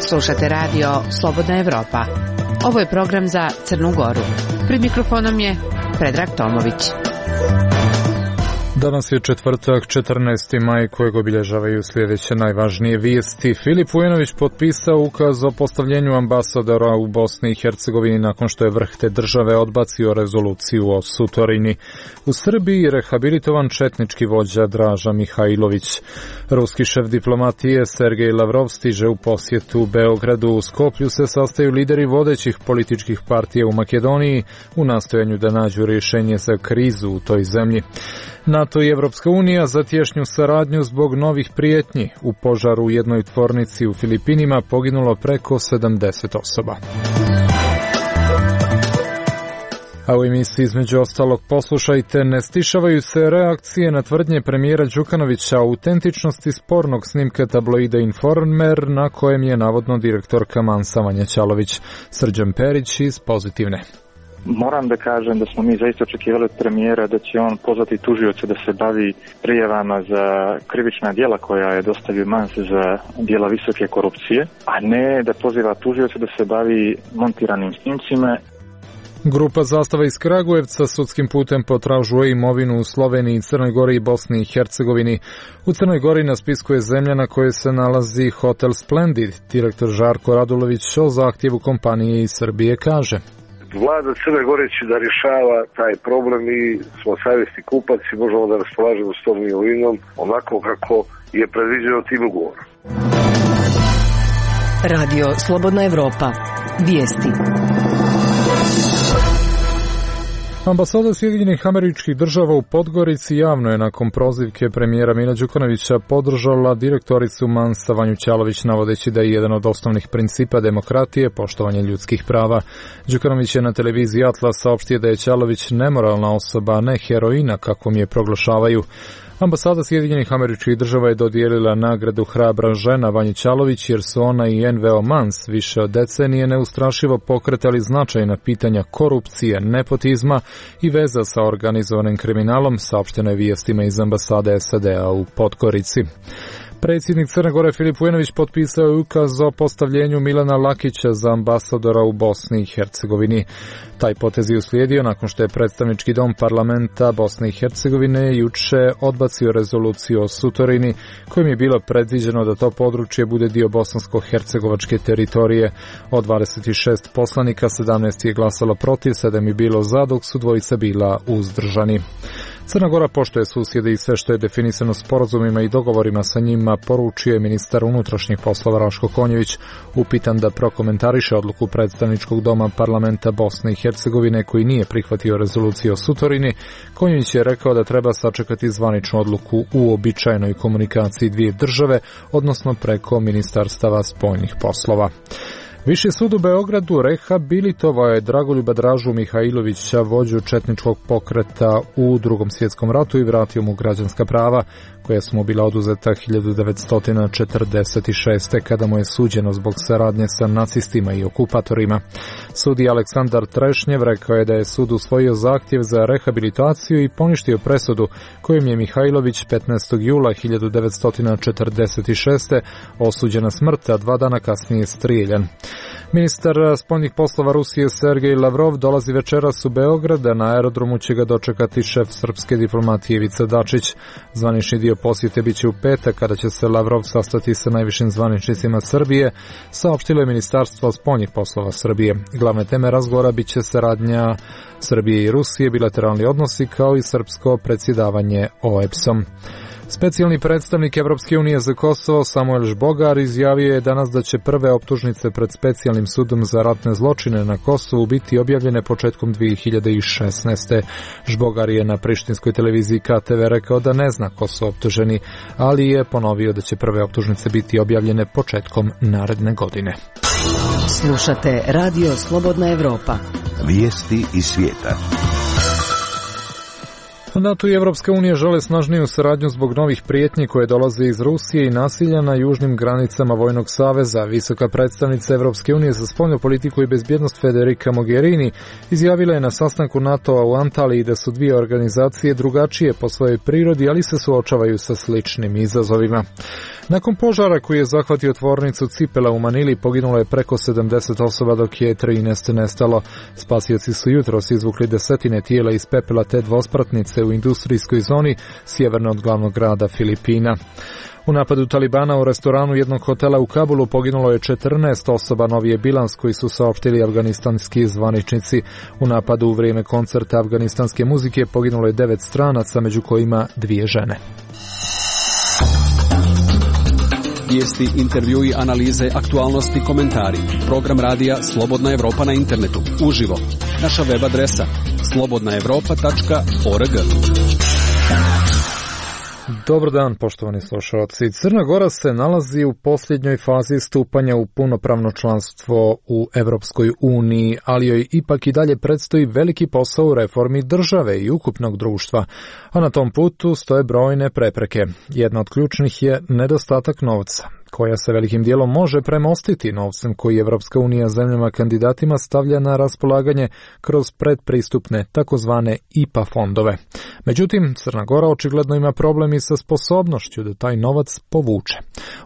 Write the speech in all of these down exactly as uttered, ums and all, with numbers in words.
Slušate radio Slobodna Evropa. Ovo je program za Crnu Goru. Pred mikrofonom je Predrag Tomović. Danas je četvrtak, četrnaesti maj, kojeg obilježavaju sljedeće najvažnije vijesti. Filip Vujanović potpisao ukaz o postavljenju ambasadora u Bosni i Hercegovini nakon što je vrh te države odbacio rezoluciju o Sutorini. U Srbiji rehabilitovan četnički vođa Draža Mihajlović. Ruski šef diplomatije Sergej Lavrov stiže u posjetu Beogradu. U Skoplju se sastaju lideri vodećih političkih partija u Makedoniji u nastojanju da nađu rješenje za krizu u toj zemlji. NATO i Evropska unija za tješnju saradnju zbog novih prijetnji. U požaru u jednoj tvornici u Filipinima poginulo preko sedamdeset osoba. A u emisiji između ostalog poslušajte, ne stišavaju se reakcije na tvrdnje premijera Đukanovića o autentičnosti spornog snimka tabloida Informer na kojem je navodno direktorka Mansa Vanja Ćalović. Srđan Perić iz Pozitivne. Moram da kažem da smo mi zaista očekivali od premijera da će on pozvati tužioce da se bavi prijavama za krivična djela koja je dostavio Mans za djela visoke korupcije, a ne da poziva tužioce da se bavi montiranim snimcima. Grupa Zastava iz Kragujevca sudskim putem potražuje imovinu u Sloveniji, Crnoj Gori i Bosni i Hercegovini. U Crnoj Gori na spisku je zemlja na kojoj se nalazi Hotel Splendid. Direktor Žarko Radulović o zahtjevu kompanije iz Srbije kaže: Vlada Crne Gore će da rješava taj problem i smo savjesni kupac i možemo da raspolažemo s tom imovinom onako kako je predviđeno tim ugovorom. Radio Slobodna Evropa. Vijesti. Ambasada Sjedinjenih Američkih Država u Podgorici javno je nakon prozivke premijera Mila Đukanovića podržala direktoricu Mansa Vanju Ćalović, navodeći da je jedan od osnovnih principa demokratije poštovanje ljudskih prava. Đukanović je na televiziji Atlas saopštio da je Ćalović nemoralna osoba, a ne heroina kakvom je proglašavaju. Ambasada Sjedinjenih Američkih Država je dodijelila nagradu Hrabra žena Vanji Ćalović jer su ona i N V O Mans više od decenije neustrašivo pokretali značajna pitanja korupcije, nepotizma i veza sa organizovanim kriminalom, saopšteno je vijestima iz ambasade S A D-a u Podgorici. Predsjednik Crne Gore Filip Vujanović potpisao je ukaz o postavljenju Milana Lakića za ambasadora u Bosni i Hercegovini. Taj potez je uslijedio nakon što je predstavnički dom parlamenta Bosne i Hercegovine juče odbacio rezoluciju o Sutorini, kojim je bilo predviđeno da to područje bude dio bosansko-hercegovačke teritorije. Od dvadeset šest poslanika sedamnaest je glasalo protiv, sedam je bilo za, dok su dvojica bila uzdržani. Crna Gora poštuje susjede i sve što je definisano sporazumima i dogovorima sa njima, poručio je ministar unutrašnjih poslova Raško Konjević, upitan da prokomentariše odluku predstavničkog doma parlamenta Bosne i Hercegovine koji nije prihvatio rezoluciju o Sutorini. Konjević je rekao da treba sačekati zvaničnu odluku u običajnoj komunikaciji dvije države, odnosno preko ministarstava spoljnih poslova. Viši sud u Beogradu rehabilitovao je Dragoljuba Dražu Mihajlovića, vođu četničkog pokreta u Drugom svjetskom ratu, i vratio mu građanska prava koja su mu bila oduzeta hiljadu devetsto četrdeset šeste. kada mu je suđeno zbog saradnje sa nacistima i okupatorima. Sudija Aleksandar Trešnjev rekao je da je sud usvojio zahtjev za rehabilitaciju i poništio presudu kojim je Mihajlović petnaestog jula hiljadu devetsto četrdeset šeste. osuđen na smrt, a dva dana kasnije strijeljan. Ministar spoljnih poslova Rusije Sergej Lavrov dolazi večeras u Beograd, a na aerodromu će ga dočekati šef srpske diplomatije Ivica Dačić. Zvanični dio posjete biće u petak, kada će se Lavrov sastati sa najvišim zvaničnicima Srbije, saopštilo je Ministarstvo spoljnih poslova Srbije. Glavne teme razgovora biće saradnja Srbije i Rusije, bilateralni odnosi kao i srpsko predsjedavanje O E B S-om. Specijalni predstavnik Evropske unije za Kosovo Samuel Žbogar izjavio je danas da će prve optužnice pred specijalnim sudom za ratne zločine na Kosovu biti objavljene početkom dvije hiljade šesnaeste. Žbogar je na prištinskoj televiziji K T V rekao da ne zna ko su optuženi, ali je ponovio da će prve optužnice biti objavljene početkom naredne godine. Slušate Radio Slobodna Evropa. Vijesti iz svijeta. NATO i Evropska unija žele snažniju saradnju zbog novih prijetnji koje dolaze iz Rusije i nasilja na južnim granicama Vojnog saveza. Visoka predstavnica Evropske unije za spoljnu politiku i bezbjednost Federica Mogherini izjavila je na sastanku NATO-a u Antaliji da su dvije organizacije drugačije po svojoj prirodi, ali se suočavaju sa sličnim izazovima. Nakon požara koji je zahvatio tvornicu cipela u Manili poginulo je preko sedamdeset osoba, dok je trinaest nestalo. Spasioci su jutros izvukli desetine tijela iz pepela te dvospratnice u industrijskoj zoni sjeverno od glavnog grada Filipina. U napadu Talibana u restoranu jednog hotela u Kabulu poginulo je četrnaest osoba, novi je bilans koji su saopštili afganistanski zvaničnici. U napadu u vrijeme koncerta afganistanske muzike poginulo je devet stranaca, među kojima dvije žene. Vijesti, intervjui, analize, aktualnosti, komentari. Program radija Slobodna Evropa na internetu. Uživo. Naša web adresa slobodna evropa tačka org. Dobar dan, poštovani slušalci. Crna Gora se nalazi u posljednjoj fazi stupanja u punopravno članstvo u Evropskoj uniji, ali joj ipak i dalje predstoji veliki posao u reformi države i ukupnog društva, a na tom putu stoje brojne prepreke. Jedna od ključnih je nedostatak novca, koja se velikim dijelom može premostiti novcem koji Evropska unija zemljama kandidatima stavlja na raspolaganje kroz predpristupne takozvane I P A fondove. Međutim, Crna Gora očigledno ima problem i sa sposobnošću da taj novac povuče.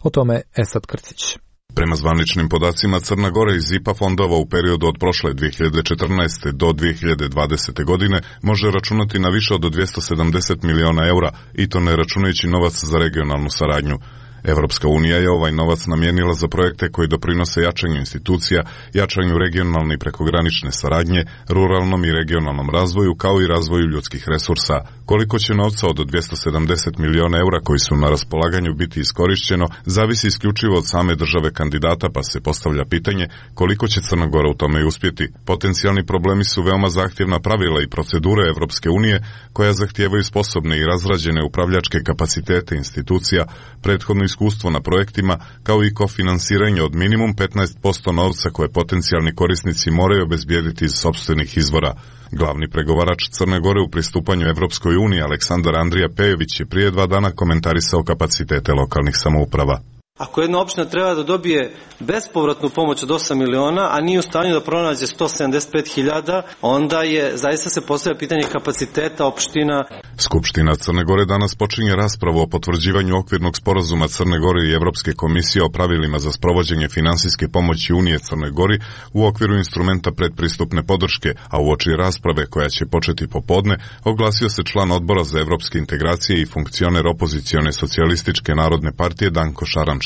O tome Esad Krcić. Prema zvaničnim podacima, Crna Gora iz I P A fondova u periodu od prošle dvije hiljade četrnaeste. do dvije hiljade dvadesete. godine može računati na više od dvjesto sedamdeset miliona eura, i to ne računajući novac za regionalnu saradnju. Evropska unija je ovaj novac namijenila za projekte koji doprinose jačanju institucija, jačanju regionalne i prekogranične saradnje, ruralnom i regionalnom razvoju, kao i razvoju ljudskih resursa. Koliko će novca od dvjesto sedamdeset miliona eura koji su na raspolaganju biti iskorišćeno, zavisi isključivo od same države kandidata, pa se postavlja pitanje koliko će Crna Gora u tome i uspjeti. Potencijalni problemi su veoma zahtjevna pravila i procedure Evropske unije, koja zahtijevaju sposobne i razrađene upravljačke kapacitete institucija, prethodno iskustvo na projektima, kao i kofinansiranje od minimum petnaest posto novca koje potencijalni korisnici moraju obezbijediti iz sopstvenih izvora. Glavni pregovarač Crne Gore u pristupanju Evropskoj uniji, Aleksandar Andrija Pejović, je prije dva dana komentarisao kapacitete lokalnih samouprava. Ako jedna opština treba da dobije bespovratnu pomoć od osam miliona, a nije u stanju da pronađe sto sedamdeset pet hiljada, onda je, zaista se postavlja pitanje kapaciteta opština. Skupština Crne Gore danas počinje raspravu o potvrđivanju okvirnog sporazuma Crne Gore i Evropske komisije o pravilima za sprovođenje finansijske pomoći Unije Crnoj Gori u okviru instrumenta predpristupne podrške, a uoči rasprave koja će početi popodne, oglasio se član odbora za evropske integracije i funkcioner opozicione socijalističke narodne partije Danko Šarančić.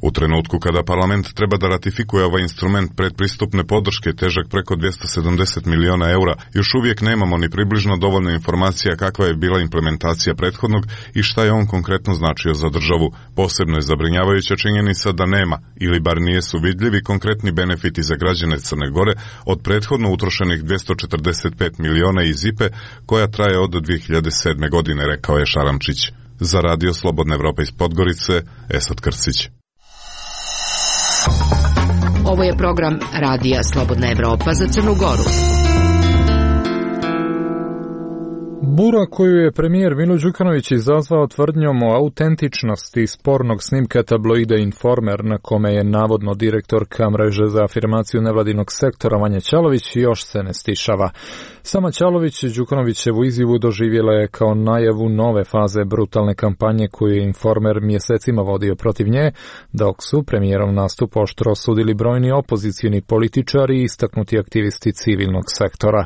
U trenutku kada parlament treba da ratifikuje ovaj instrument predpristupne podrške težak preko dvjesto sedamdeset miliona eura, još uvijek nemamo ni približno dovoljno informacija kakva je bila implementacija prethodnog i šta je on konkretno značio za državu. Posebno je zabrinjavajuća činjenica da nema, ili bar nijesu vidljivi konkretni benefiti za građane Crne Gore od prethodno utrošenih dvjesto četrdeset pet miliona iz I P E, koja traje od dvije hiljade sedme. godine, rekao je Šaramčić. Za radio Slobodna Evropa iz Podgorice, Esad Krcić. Ovo je program radija Slobodna Evropa za Crnu Goru. Bura koju je premijer Milo Đukanović izazvao tvrdnjom o autentičnosti spornog snimka tabloida Informer, na kome je navodno direktorka mreže za afirmaciju nevladinog sektora Vanja Ćalović, još se ne stišava. Sama Ćalović Đukanovićevu izjavu doživjela je kao najavu nove faze brutalne kampanje koju je Informer mjesecima vodio protiv nje, dok su premijerov nastup oštro osudili brojni opozicijni političari i istaknuti aktivisti civilnog sektora.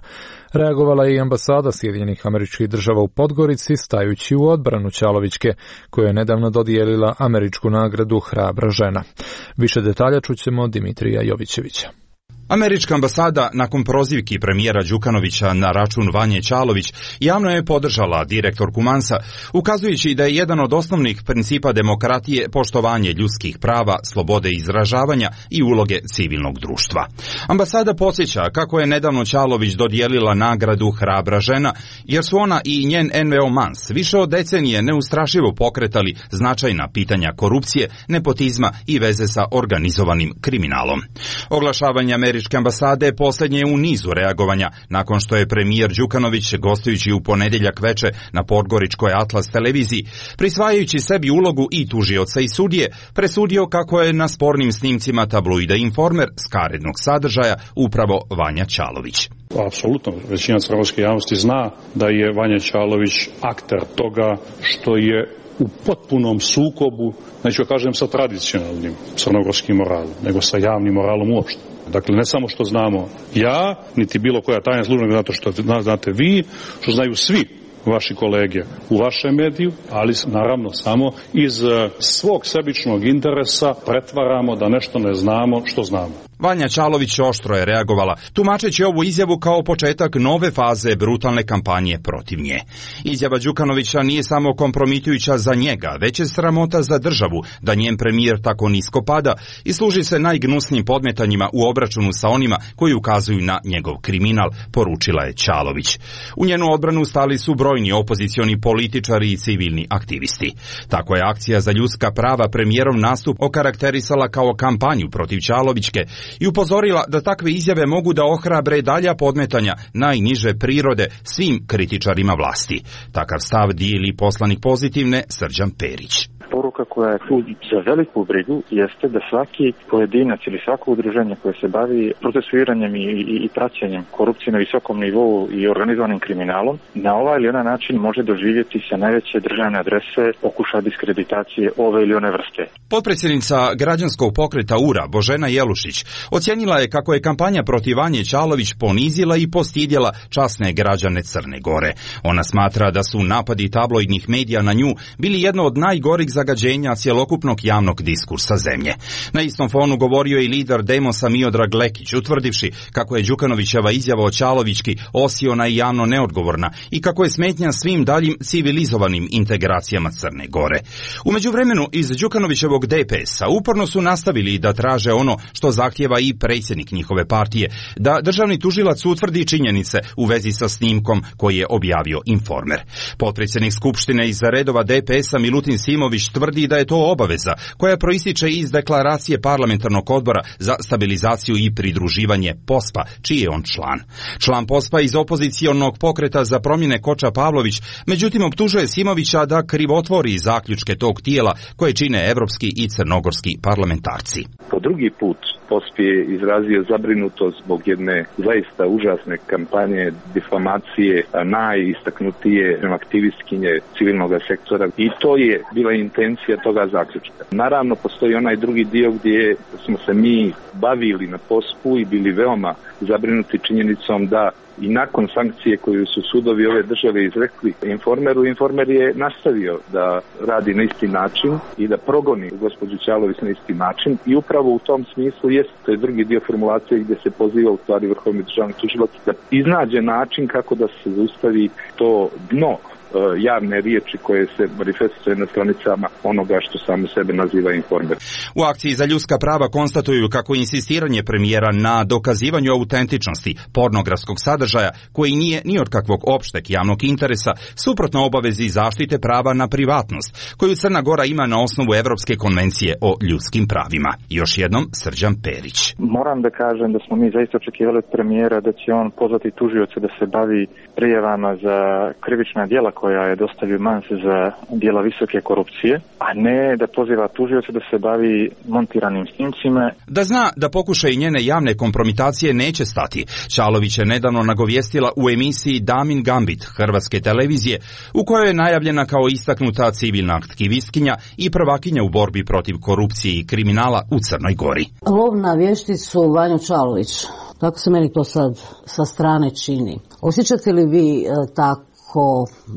Reagovala je i ambasada Sjedinjenih Američkih Država u Podgorici, stajući u odbranu Ćalovićke, koja je nedavno dodijelila američku nagradu Hrabra žena. Više detalja čućemo Dimitrija Jovićevića. Američka ambasada, nakon prozivki premijera Đukanovića na račun Vanje Ćalović, javno je podržala direktorku Mansa, ukazujući da je jedan od osnovnih principa demokratije poštovanje ljudskih prava, slobode izražavanja i uloge civilnog društva. Ambasada podsjeća kako je nedavno Ćalović dodijelila nagradu Hrabra žena, jer su ona i njen N V O Mans više od decenije neustrašivo pokretali značajna pitanja korupcije, nepotizma i veze sa organizovanim kriminalom. Oglašavanje američke ambasade posljednje je u nizu reagovanja nakon što je premijer Đukanović, gostujući u ponedjeljak veče na podgoričkoj Atlas televiziji, prisvajajući sebi ulogu i tužioca i sudije, presudio kako je na spornim snimcima tabloida Informer skarednog sadržaja upravo Vanja Ćalović. Apsolutno, većina crnogorske javnosti zna da je Vanja Ćalović akter toga što je u potpunom sukobu, neću kažem sa tradicionalnim crnogorskim moralom, nego sa javnim moralom uopšte. Dakle, ne samo što znamo ja, niti bilo koja tajna služba, nego zato što znate vi, što znaju svi vaši kolege u vašem mediju, ali naravno samo iz svog sebičnog interesa pretvaramo da nešto ne znamo što znamo. Vanja Ćalović oštro je reagovala, tumačeći ovu izjavu kao početak nove faze brutalne kampanje protiv nje. Izjava Đukanovića nije samo kompromitujuća za njega, već je sramota za državu da njen premijer tako nisko pada i služi se najgnusnijim podmetanjima u obračunu sa onima koji ukazuju na njegov kriminal, poručila je Ćalović. U njenu odbranu stali su brojni opozicioni političari i civilni aktivisti. Tako je akcija za ljudska prava premijerov nastup okarakterisala kao kampanju protiv Ćalovićke i upozorila da takve izjave mogu da ohrabre dalja podmetanja najniže prirode svim kritičarima vlasti. Takav stav dijeli poslanik Pozitivne Srđan Perić. Poruka koja je tu za veliku brigu jeste da svaki pojedinac ili svako udruženje koje se bavi procesuiranjem i, i, i praćenjem korupcije na visokom nivou i organizovanim kriminalom na ovaj ili onaj način može doživjeti sa najveće državne adrese pokušaj diskreditacije ove ili one vrste. Potpredsjednica građanskog pokreta U R A Božena Jelušić ocijenila je kako je kampanja protiv Vanje Ćalović ponizila i postidjela časne građane Crne Gore. Ona smatra da su napadi tabloidnih medija na nju bili jedno od najgorih zagađenja cjelokupnog javnog diskursa zemlje. Na istom fonu govorio i lider Demosa Miodrag Lekić, utvrdivši kako je Đukanovićeva izjava o Ćalovićki osiona i javno neodgovorna i kako je smetnja svim daljim civilizovanim integracijama Crne Gore. U međuvremenu iz Đukanovićevog D P S-a uporno su nastavili da traže ono što zahtjeva i predsjednik njihove partije, da državni tužilac utvrdi činjenice u vezi sa snimkom koji je objavio Informer. Potpredsjednik Skupštine iz redova D P S-a Milutin Simović tvrdi da je to obaveza koja proističe iz deklaracije parlamentarnog odbora za stabilizaciju i pridruživanje P O S P A, čiji je on član. Član P O S P A iz opozicionog pokreta za promjene Koča Pavlović, međutim optužuje Simovića da krivotvori zaključke tog tijela koje čine evropski i crnogorski parlamentarci. Po drugi put P O S P A je izrazio zabrinutost zbog jedne zaista užasne kampanje difamacije najistaknutije aktivistkinje civilnog sektora i to je bila intencija toga zaključka. Naravno, postoji onaj drugi dio gdje smo se mi bavili na P O S P U i bili veoma zabrinuti činjenicom da i nakon sankcije koju su sudovi ove države izrekli Informeru, Informer je nastavio da radi na isti način i da progoni gospođu Ćalović na isti način i upravo u tom smislu jest, to je drugi dio formulacije gdje se poziva u stvari Vrhovni državni tužilac da iznađe način kako da se zaustavi to dno javne riječi koje se manifestuje na stranicama onoga što samo sebe naziva Informer. U akciji za ljudska prava konstatuju kako insistiranje premijera na dokazivanju autentičnosti pornografskog sadržaja, koji nije ni od kakvog opšteg javnog interesa, suprotno obavezi zaštite prava na privatnost, koju Crna Gora ima na osnovu Evropske konvencije o ljudskim pravima. Još jednom Srđan Perić. Moram da kažem da smo mi zaista očekivali od premijera da će on pozvati tužioce da se bavi prijavama za krivična djela koja je dostavio Mans za djela visoke korupcije, a ne da poziva tužioce da se bavi montiranim snimcima. Da zna da pokušaj njene javne kompromitacije neće stati, Ćalović je nedavno nagovijestila u emisiji Damin Gambit hrvatske televizije, u kojoj je najavljena kao istaknuta civilna aktivistkinja i prvakinja u borbi protiv korupcije i kriminala u Crnoj Gori. Lov na vješticu Vanju Ćalović, tako se meni to sad sa strane čini. Osjećate li vi tako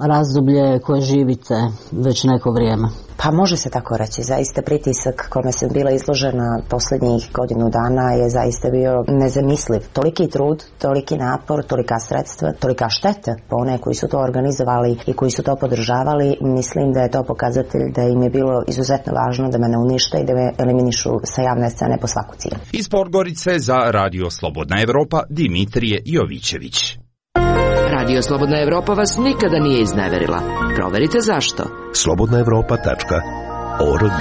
razdoblje koje živite već neko vrijeme? Pa može se tako reći. Zaista pritisak kome sam bila izložena posljednjih godinu dana je zaista bio nezamisliv. Toliki trud, toliki napor, tolika sredstva, tolika šteta po one koji su to organizovali i koji su to podržavali. Mislim da je to pokazatelj da im je bilo izuzetno važno da me ne unište i da me eliminišu sa javne scene po svaku cijenu. Iz Podgorice za Radio Slobodna Evropa Dimitrije Jovićević. Radio Slobodna Evropa vas nikada nije izneverila. Proverite zašto. slobodna evropa tačka org.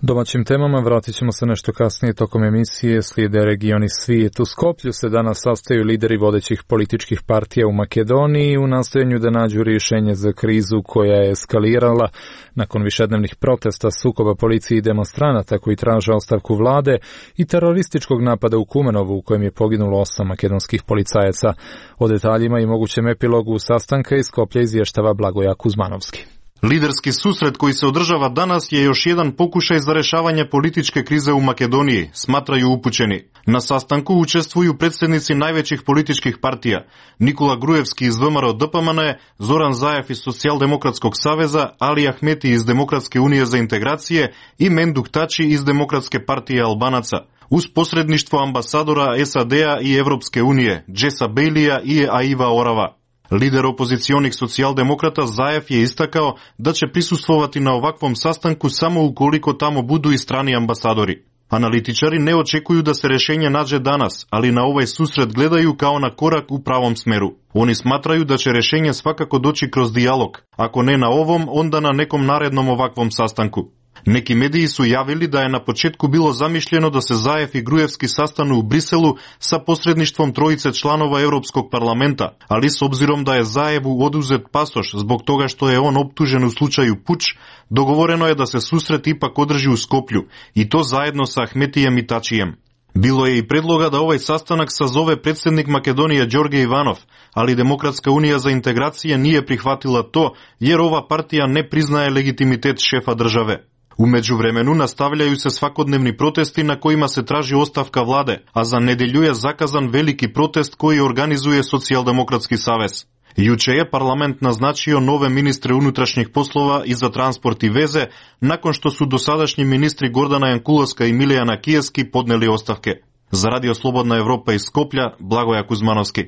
Domaćim temama vratit ćemo se nešto kasnije tokom emisije. Slijede regioni svijet. U Skoplju se danas sastaju lideri vodećih političkih partija u Makedoniji u nastojanju da nađu rješenje za krizu koja je eskalirala nakon višednevnih protesta, sukoba policije i demonstranata koji traže ostavku vlade i terorističkog napada u Kumanovu u kojem je poginulo osam makedonskih policajaca. O detaljima i mogućem epilogu sastanka iz Skoplja izvještava Blagoja Kuzmanovski. Liderski susret koji se održava danas je još jedan pokušaj za rešavanje političke krize u Makedoniji, smatraju upućeni. Na sastanku učestvuju predsjednici najvećih političkih partija, Nikola Grujevski iz V M R O D P M N, Zoran Zajev iz Socijaldemokratskog saveza, Ali Ahmeti iz Demokratske unije za integracije i Menduk Tači iz Demokratske partije Albanaca, uz posredništvo ambasadora S A D-a i Evropske unije, Jessa Bailija i Aiva Orava. Lider opozicionih socijaldemokrata Zajev je istakao da će prisustvovati na ovakvom sastanku samo ukoliko tamo budu i strani ambasadori. Analitičari ne očekuju da se rješenje nađe danas, ali na ovaj susret gledaju kao na korak u pravom smeru. Oni smatraju da će rješenje svakako doći kroz dijalog, ako ne na ovom, onda na nekom narednom ovakvom sastanku. Neki mediji su javili da je na početku bilo zamišljeno da se Zajev i Grujevski sastanu u Briselu sa posredništvom trojice članova Europskog parlamenta, ali s obzirom da je Zajevu oduzet pasoš zbog toga što je on optužen u slučaju puč, dogovoreno je da se susret ipak održi u Skoplju, i to zajedno sa Ahmetijem i Tačijem. Bilo je i predloga da ovaj sastanak sazove predsjednik Makedonije Đorđe Ivanov, ali Demokratska unija za integracije nije prihvatila to jer ova partija ne priznaje legitimitet šefa države. U međuvremenu nastavljaju se svakodnevni protesti na kojima se traži ostavka vlade, a za nedjelju je zakazan veliki protest koji organizuje Socijaldemokratski savez. Juče je parlament naznačio nove ministre unutrašnjih poslova i za transport i veze, nakon što su dosadašnji ministri Gordana Jankulovska i Milijana Kijeski podneli ostavke. Za Radio Slobodna Evropa iz Skoplja, Blagoja Kuzmanovski.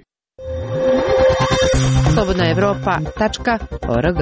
slobodna evropa tačka org.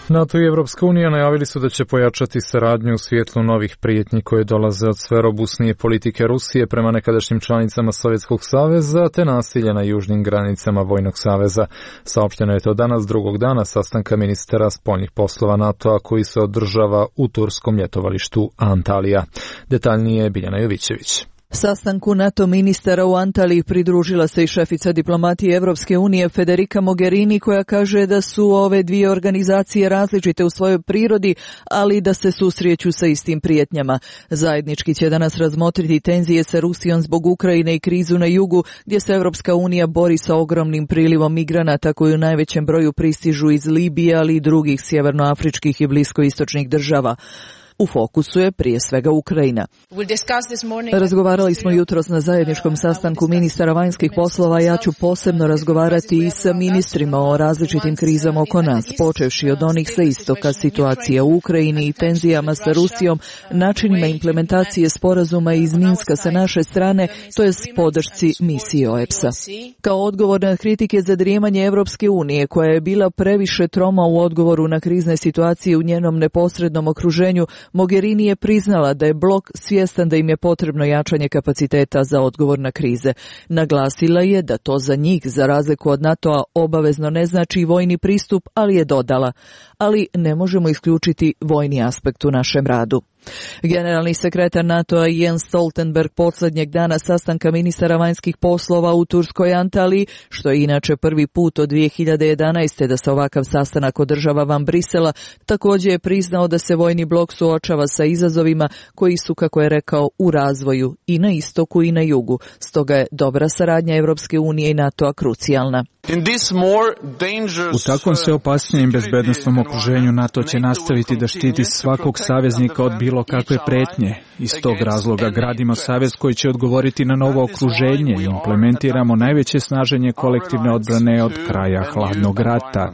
NATO i Evropska unija najavili su da će pojačati saradnju u svjetlu novih prijetnji koje dolaze od sve robusnije politike Rusije prema nekadašnjim članicama Sovjetskog saveza te nasilja na južnim granicama Vojnog saveza. Saopšteno je to danas drugog dana sastanka ministara spoljnih poslova NATO-a koji se održava u turskom ljetovalištu Antalija. Detaljnije Biljana Jovićević. Sastanku NATO ministara u Antaliji pridružila se i šefica diplomatije Evropske unije Federica Mogherini, koja kaže da su ove dvije organizacije različite u svojoj prirodi, ali da se susreću sa istim prijetnjama. Zajednički će danas razmotriti tenzije sa Rusijom zbog Ukrajine i krizu na jugu, gdje se Evropska unija bori sa ogromnim prilivom migranata koji u najvećem broju pristižu iz Libije, ali i drugih sjevernoafričkih i bliskoistočnih država. U fokusu je prije svega Ukrajina. Razgovarali smo jutros na zajedničkom sastanku ministara vanjskih poslova, ja ću posebno razgovarati i sa ministrima o različitim krizama oko nas, počevši od onih sa istoka, situacija u Ukrajini i tenzijama sa Rusijom, načinima implementacije sporazuma iz Minska sa naše strane, to je podršci misiji O E P S-a. Kao odgovor na kritike za drijemanje Evropske unije, koja je bila previše troma u odgovoru na krizne situacije u njenom neposrednom okruženju, Mogherini je priznala da je blok svjestan da im je potrebno jačanje kapaciteta za odgovor na krize. Naglasila je da to za njih, za razliku od NATO-a, obavezno ne znači vojni pristup, ali je dodala. Ali ne možemo isključiti vojni aspekt u našem radu. Generalni sekretar NATO-a Jens Stoltenberg posljednjeg dana sastanka ministara vanjskih poslova u turskoj Antaliji, što je inače prvi put od dvije hiljade jedanaeste da se ovakav sastanak održava van Brisela, također je priznao da se vojni blok suočava sa izazovima koji su, kako je rekao, u razvoju i na istoku i na jugu. Stoga je dobra saradnja Evropske unije i NATO-a krucijalna. U takvom sve opasnijem bezbednostnom okruženju NATO će nastaviti da štiti svakog saveznika od bilo kakve pretnje. Iz tog razloga gradimo savez koji će odgovoriti na novo okruženje i implementiramo najveće snaženje kolektivne odbrane od kraja hladnog rata.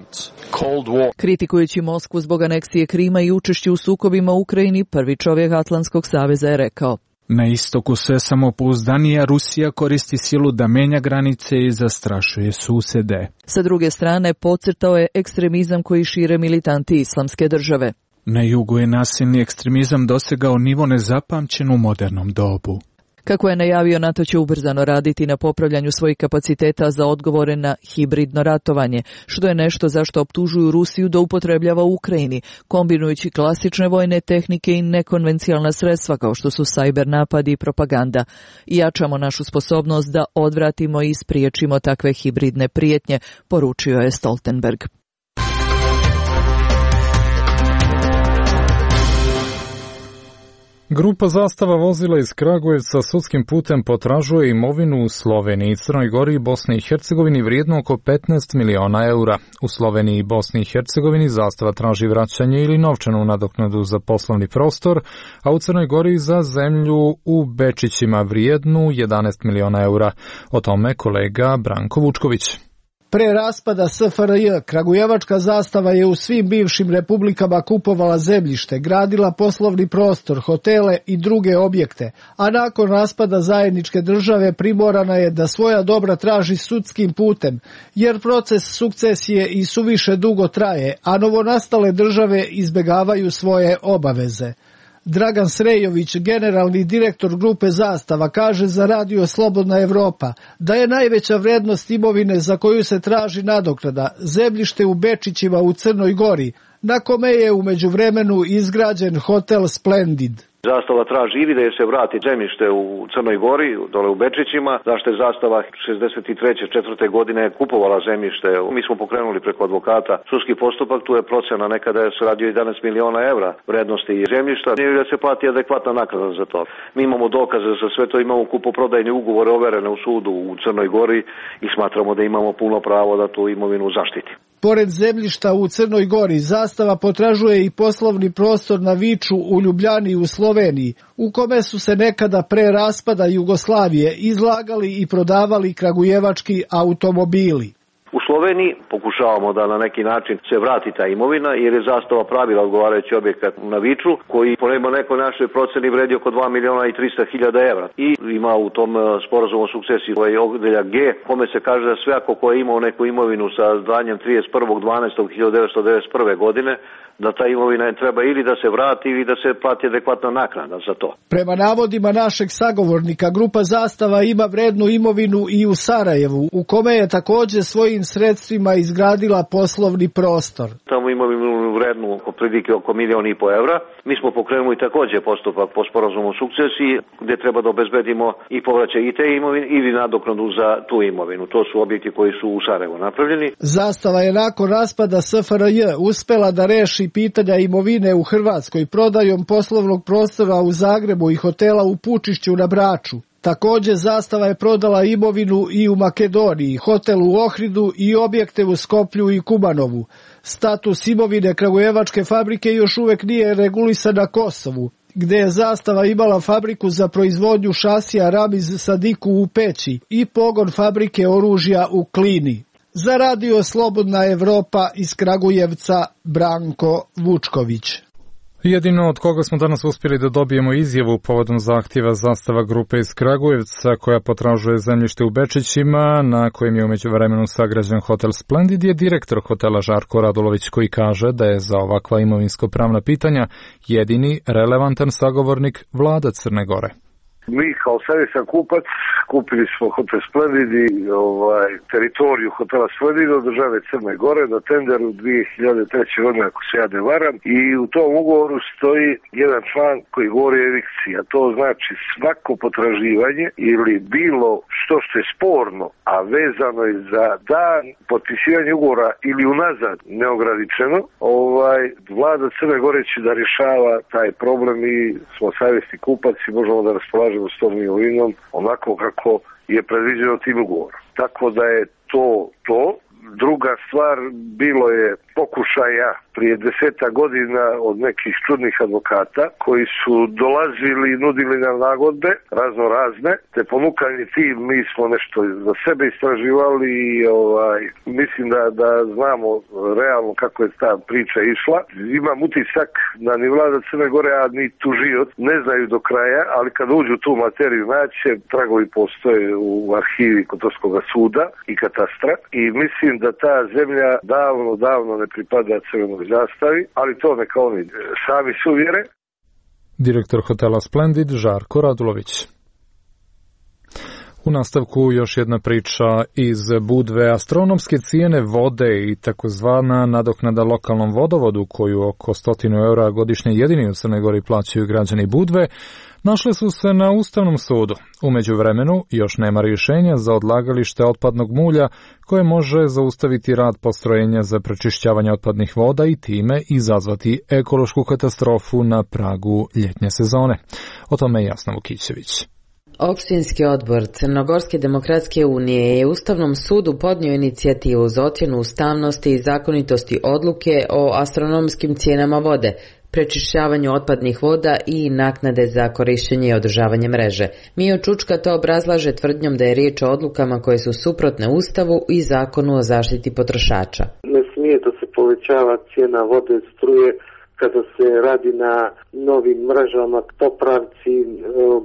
Kritikujući Moskvu zbog aneksije Krima i učešću u sukobima u Ukrajini, prvi čovjek Atlantskog saveza je rekao: Na istoku sve samopouzdanija Rusija koristi silu da menja granice i zastrašuje susede. Sa druge strane, podcrtao je ekstremizam koji šire militanti Islamske države. Na jugu je nasilni ekstremizam dosegao nivo nezapamćen u modernom dobu. Kako je najavio, NATO će ubrzano raditi na popravljanju svojih kapaciteta za odgovore na hibridno ratovanje, što je nešto zašto optužuju Rusiju da upotrebljava u Ukrajini, kombinujući klasične vojne tehnike i nekonvencionalna sredstva kao što su sajber napadi i propaganda. I jačamo našu sposobnost da odvratimo i spriječimo takve hibridne prijetnje, poručio je Stoltenberg. Grupa Zastava vozila iz Kragujevca sudskim putem potražuje imovinu u Sloveniji, Crnoj Gori i Bosni i Hercegovini vrijedno oko petnaest miliona eura. U Sloveniji i Bosni i Hercegovini Zastava traži vraćanje ili novčanu nadoknadu za poslovni prostor, a u Crnoj Gori za zemlju u Bečićima vrijednu jedanaest miliona eura. O tome kolega Branko Vučković. Pre raspada S F R J, Kragujevačka Zastava je u svim bivšim republikama kupovala zemljište, gradila poslovni prostor, hotele i druge objekte, a nakon raspada zajedničke države primorana je da svoja dobra traži sudskim putem, jer proces sukcesije i suviše dugo traje, a novonastale države izbegavaju svoje obaveze. Dragan Srejović, generalni direktor grupe Zastava, kaže za radio Slobodna Evropa da je najveća vrednost imovine za koju se traži nadoknada zemljište u Bečićima u Crnoj Gori, na kome je u međuvremenu izgrađen hotel Splendid. Zastava traži ili da je se vrati zemljište u Crnoj Gori, dole u Bečićima, zašto je Zastava šezdeset treće četvrte godine kupovala zemljište. Mi smo pokrenuli preko advokata sudski postupak, tu je procena nekada je se radio jedanaest miliona evra vrednosti zemljišta, ili da se plati adekvatna naknada za to. Mi imamo dokaze za sve to, imamo kupoprodajni ugovore overene u sudu u Crnoj Gori i smatramo da imamo puno pravo da tu imovinu zaštiti. Pored zemljišta u Crnoj Gori, Zastava potražuje i poslovni prostor na Viču u Ljubljani u Sloveniji, u kome su se nekada pre raspada Jugoslavije izlagali i prodavali kragujevački automobili. U Sloveniji pokušavamo da na neki način se vrati ta imovina, jer je Zastava pravila odgovarajući objekat na Viču, koji po nekoj našoj proceni vredi oko dva miliona i trista hiljada evra. I ima u tom sporazumu o sukcesiji ovaj odeljak G, kome se kaže da svako ko je imao neku imovinu sa danjem trideset prvog decembra hiljadu devetsto devedeset prve. godine, da ta imovina treba ili da se vrati ili da se plati adekvatna naknada za to. Prema navodima našeg sagovornika, grupa Zastava ima vrednu imovinu i u Sarajevu, u kome je također svojim sredstvima izgradila poslovni prostor. Tamo imovinu vrednu oko prilike oko milion i po evra. Mi smo pokrenuli također postupak po sporazumu o sukcesiji, gdje treba da obezbedimo i povraćaj i te imovine ili nadoknadu za tu imovinu. To su objekti koji su u Sarajevu napravljeni. Zastava je nakon raspada S F R J uspela da reši pitanja imovine u Hrvatskoj prodajom poslovnog prostora u Zagrebu i hotela u Pučišću na Braču. Također Zastava je prodala imovinu i u Makedoniji, hotel u Ohridu i objekte u Skoplju i Kumanovu. Status imovine Kragujevačke fabrike još uvijek nije regulisan na Kosovu, gdje je Zastava imala fabriku za proizvodnju šasija Ramiz Sadiku u Peći i pogon fabrike oružja u Klini. Za radio Slobodna Evropa iz Kragujevca, Branko Vučković. Jedino od koga smo danas uspjeli da dobijemo izjavu povodom zahtjeva Zastava grupe iz Kragujevca koja potražuje zemljište u Bečićima, na kojem je u međuvremenu sagrađen hotel Splendid, je direktor hotela Žarko Radulović, koji kaže da je za ovakva imovinsko-pravna pitanja jedini relevantan sagovornik vlada Crne Gore. Mi kao savjesan kupac kupili smo hotel Splendid i ovaj, teritoriju hotela Splendid od države Crne Gore na tenderu dvije hiljade treće. godine, ako se ja ne varam, i u tom ugovoru stoji jedan član koji govori o evikciji, a to znači svako potraživanje ili bilo što što je sporno, a vezano je za dan potpisivanja ugovora ili unazad neograničeno, ovaj, vlada Crne Gore će da rješava taj problem i smo savjesni kupac i možemo da raspolažemo s tom imovinom onako kako je predviđeno tim ugovorom. Tako da je to to. Druga stvar, bilo je pokušaja prije deseta godina od nekih čudnih advokata koji su dolazili i nudili nam nagodbe razno razne, te ponukani tim mi smo nešto za sebe istraživali i ovaj, mislim da, da znamo realno kako je ta priča išla. Imam utisak da ni vlada Crne Gore, a ni tužioc ne znaju do kraja, ali kad uđu tu materiju naće, tragovi postoje u arhivi Kotorskog suda i katastra i mislim da ta zemlja davno, davno ne pripada Crvenoj Zastavi, ali to neka oni sami suvjere. Direktor hotela Splendid Žarko Radulović. U nastavku još jedna priča iz Budve. Astronomske cijene vode i takozvana nadoknada lokalnom vodovodu, koju oko stotinu eura godišnje jedini u Crnoj Gori plaćaju građani Budve, našle su se na Ustavnom sudu. U međuvremenu još nema rješenja za odlagalište otpadnog mulja koje može zaustaviti rad postrojenja za prečišćavanje otpadnih voda i time izazvati ekološku katastrofu na pragu ljetnje sezone. O tome je Jasna Vukićević. Opštinski odbor Crnogorske demokratske unije je Ustavnom sudu podnio inicijativu za ocjenu ustavnosti i zakonitosti odluke o astronomskim cijenama vode, prečišćavanju otpadnih voda i naknade za korištenje i održavanje mreže. Mio Čučka to obrazlaže tvrdnjom da je riječ o odlukama koje su suprotne Ustavu i Zakonu o zaštiti potrošača. Ne smije da se povećava cijena vode, struje, kada se radi na novim mrežama, popravci,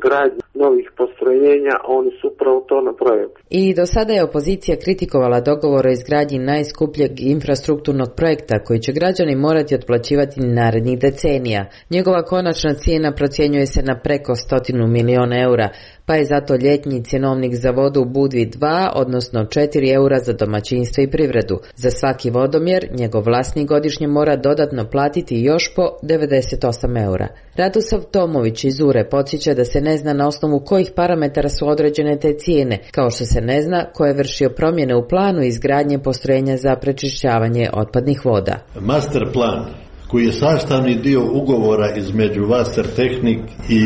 gradnji novih postrojenja, oni su upravo to napravili. I do sada je opozicija kritikovala dogovor o izgradnji najskupljeg infrastrukturnog projekta koji će građani morati otplaćivati narednih decenija. Njegova konačna cijena procjenjuje se na preko stotinu miliona eura, pa je zato ljetnji cjenovnik za vodu u Budvi dva, odnosno četiri eura za domaćinstvo i privredu. Za svaki vodomjer njegov vlasnik godišnje mora dodatno platiti još po devedeset osam eura. Radosav Tomović iz Ure podsjeća da se ne zna na osnovu kojih parametara su određene te cijene, kao što se ne zna ko je vršio promjene u planu izgradnje postrojenja za prečišćavanje otpadnih voda. Master plan koji je sastavni dio ugovora između Wassertechnik i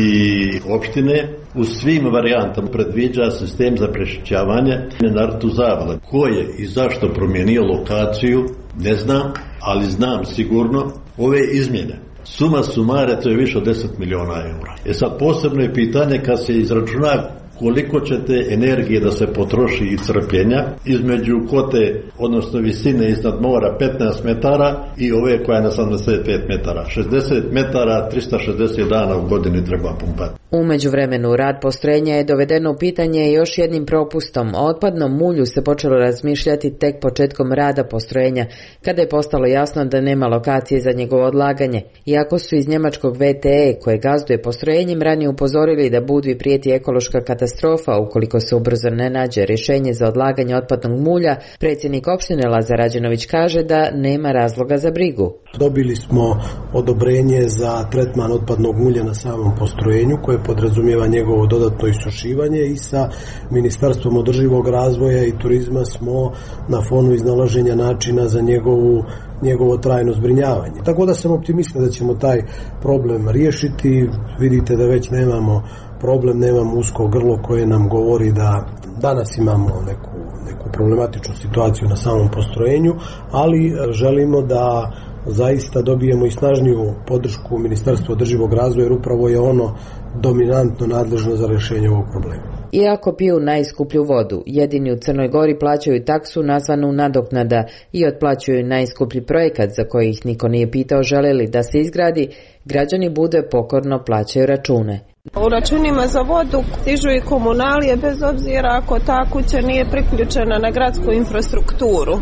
opštine, u svim varijantama predviđa sistem za prečišćavanje na rtu Zavle. Ko je i zašto promijenio lokaciju, ne znam, ali znam sigurno ove izmjene. Suma sumare, to je više od deset miliona eura. E sad posebno je pitanje kad se izračuna koliko će te energije da se potroši i crpljenja između kote, odnosno visine iznad mora petnaest metara i ove koja je na sedamdeset pet metara. šezdeset metara, tristo šezdeset dana u godini treba pumpati. U međuvremenu rad postrojenja je dovedeno u pitanje još jednim propustom. O otpadnom mulju se počelo razmišljati tek početkom rada postrojenja, kada je postalo jasno da nema lokacije za njegovo odlaganje. Iako su iz njemačkog V T E, koje gazduje postrojenjem, ranije upozorili da Budvi prijeti ekološka katastrofa ukoliko se ubrzo ne nađe rješenje za odlaganje otpadnog mulja, predsjednik opštine Lazar Rađenović kaže da nema razloga za brigu. Dobili smo odobrenje za tretman otpadnog mulja na samom postrojenju koje podrazumijeva njegovo dodatno isušivanje i sa Ministarstvom održivog razvoja i turizma smo na fonu iznalaženja načina za njegovu njegovo trajno zbrinjavanje. Tako da sam optimistan da ćemo taj problem riješiti. Vidite da već nemamo problem, nemamo usko grlo koje nam govori da danas imamo neku, neku problematičnu situaciju na samom postrojenju, ali želimo da zaista dobijemo i snažniju podršku Ministarstva održivog razvoja, jer upravo je ono dominantno nadležno za rješenje ovog problema. Iako piju najskuplju vodu, jedini u Crnoj Gori plaćaju taksu nazvanu nadoknada i otplaćuju najskuplji projekat za koji ih niko nije pitao žele li da se izgradi, građani Budve pokorno plaćaju račune. U računima za vodu stižu i komunalije bez obzira ako ta kuća nije priključena na gradsku infrastrukturu.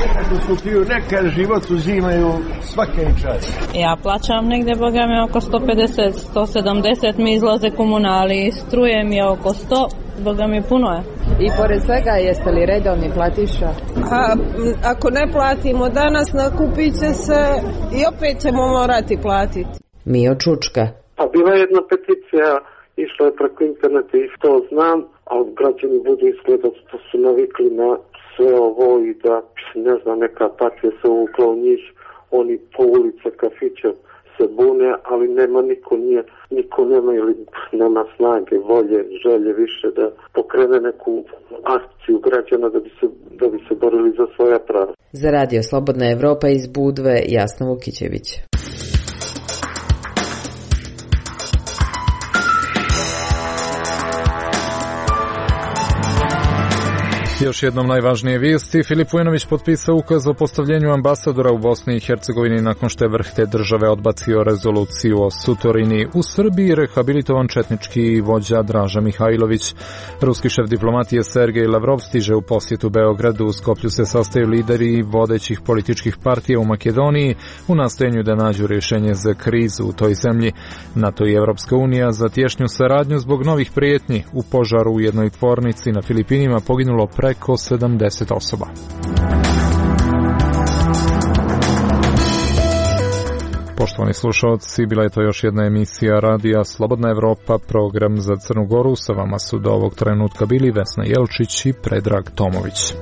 Nekad piju, nekad život uzimaju svake čas. Ja plaćam negdje, boga mi, oko sto pedeset do sto sedamdeset mi izlaze komunalije, struje mi je oko sto, boga mi puno je. I pored svega jeste li redovni platiša? A, ako ne platimo danas, nakupit će se i opet ćemo morati platiti. Mio Čučka. Pa bila je jedna peticija, išla je preko interneta i to znam, ali građani budu izgleda da su navikli na sve ovo i da, ne znam, neka partija se uvukla u njih, oni po ulice, kafiće se bune, ali nema niko, nije, niko nema ili nema snage, volje, želje više da pokrene neku akciju građana da bi se, da bi se borili za svoja prava. Za radio Slobodna Evropa iz Budve, Jasna Vukićević. Još jednom najvažnije vijesti. Filip Vujinović potpisao ukaz o postavljenju ambasadora u Bosni i Hercegovini nakon što je vrh te države odbacio rezoluciju o Sutorini. U Srbiji rehabilitovan četnički vođa Draža Mihajlović. Ruski šef diplomatije Sergej Lavrov stiže u posjetu Beogradu. U Skoplju se sastaju lideri vodećih političkih partija u Makedoniji u nastojanju da nađu rješenje za krizu u toj zemlji. NATO i Evropska unija za tješnju saradnju zbog novih prijetnji. U požaru u jednoj tvornici na Filipinima poginulo preko sedamdeset osoba. Poštovani slušalci, bila je to još jedna emisija radija Slobodna Evropa, program za Crnu Goru. Sa vama su do ovog trenutka bili Vesna Jelčić i Predrag Tomović.